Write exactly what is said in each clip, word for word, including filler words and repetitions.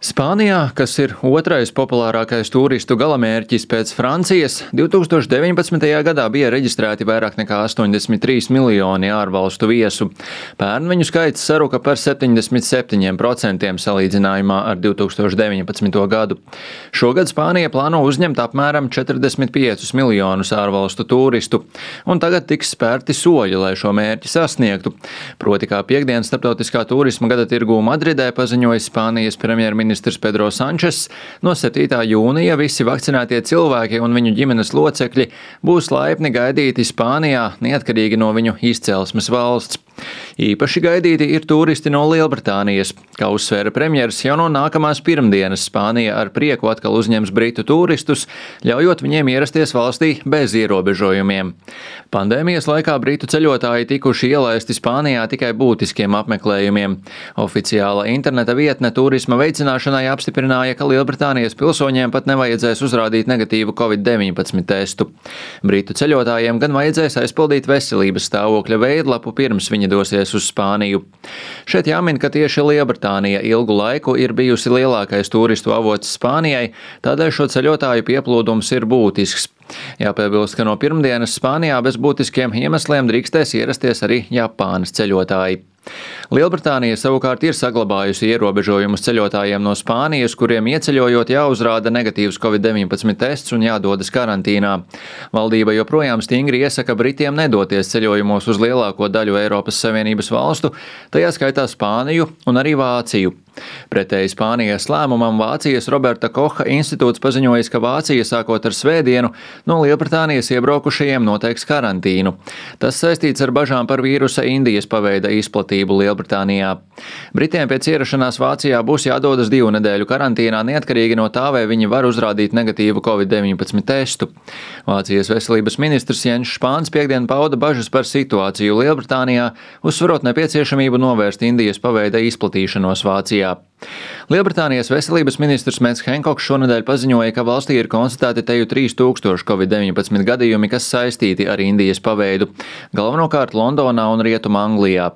Spānijā, kas ir otrais populārākais turistu galamērķis pēc Francijas, divs tūkstoši deviņpadsmitajā gadā bija reģistrēti vairāk nekā astoņdesmit trīs miljoni ārvalstu viesu. Pērn viņu skaits saruka par septiņdesmit septiņiem procentiem salīdzinājumā ar divs tūkstoši deviņpadsmito gadu. Šogad Spānija plāno uzņemt apmēram četrdesmit piecus miljonus ārvalstu turistu, un tagad tiks spērti soļi, lai šo mērķi sasniegtu. Proti, kā piekdienas starptautiskā turisma gada tirgū Madridē paziņoja Spānijas premjerministrs Ministrs Pedro Sančes, no septītā jūnija visi vakcinētie cilvēki un viņu ģimenes locekļi būs laipni gaidīti Spānijā, neatkarīgi no viņu izcelsmes valsts. Īpaši gaidīti ir turisti no Lielbritānijas. Kā uzsvēra premjers, jau no nākamās pirmdienas Spānija ar prieku atkal uzņems britu turistus, ļaujot viņiem ierasties valstī bez ierobežojumiem. Pandēmijas laikā britu ceļotāji tikuši ielaisti Spānijā tikai būtiskiem apmeklējumiem. Oficiāla interneta vietne turisma veicināšanai apstiprināja, ka Lielbritānijas pilsoņiem pat nevajadzēs uzrādīt negatīvu covid deviņpadsmit testu. Britu ceļotājiem gan vajadzēs aizpildīt veselības stāvokļa veidlapu pirms viņi dosies uz Spāniju. Šeit jāmin, ka tieši Lielbritānija ilgu laiku ir bijusi lielākais turistu avots Spānijai, tādēļ šo ceļotāju pieplūdums ir būtisks. Jāpiebilst, ka no pirmdienas Spānijā bez būtiskiem iemesliem drīkstēs ierasties arī Japānas ceļotāji. Lielbritānija savukārt ir saglabājusi ierobežojumus ceļotājiem no Spānijas, kuriem ieceļojot jāuzrāda negatīvs covid deviņpadsmit tests un jādodas karantīnā. Valdība joprojām stingri iesaka Britiem nedoties ceļojumos uz lielāko daļu Eiropas Savienības valstu, tajā skaitā Spāniju un arī Vāciju. Pretēji Spānijas lēmumam Vācijas Roberta Koha institūts paziņojis, ka Vācija sākot ar svētdienu no Lielbritānijas iebraukušajiem noteiks karantīnu. Tas saistīts ar bažām par vīrusa Indijas paveida izplatību Lielbritānijā. Britiem pēc ierašanās Vācijā būs jādodas divu nedēļu karantīnā, neatkarīgi no tā, vai viņi var uzrādīt negatīvu covid deviņpadsmit testu. Vācijas veselības ministrs Jens Spāns piekdien pauda bažas par situāciju Lielbritānijā, uzsverot nepieciešamību novērst Indijas paveida izplatīšanos Vācijā. Lielbritānijas veselības ministrs Mets Henkoks šonedēļ paziņoja, ka valstī ir konstatēti teju trīs tūkstoši covid deviņpadsmit gadījumi, kas saistīti ar Indijas paveidu, galvenokārt Londonā un Rietumā Anglijā.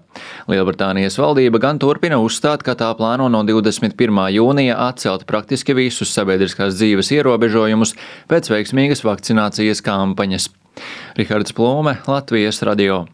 Lielbritānijas valdība gan turpina uzstāt, ka tā plāno no divdesmit pirmā jūnija atcelt praktiski visus sabiedriskās dzīves ierobežojumus pēc veiksmīgas vakcinācijas kampaņas. Rihards Plūme, Latvijas radio.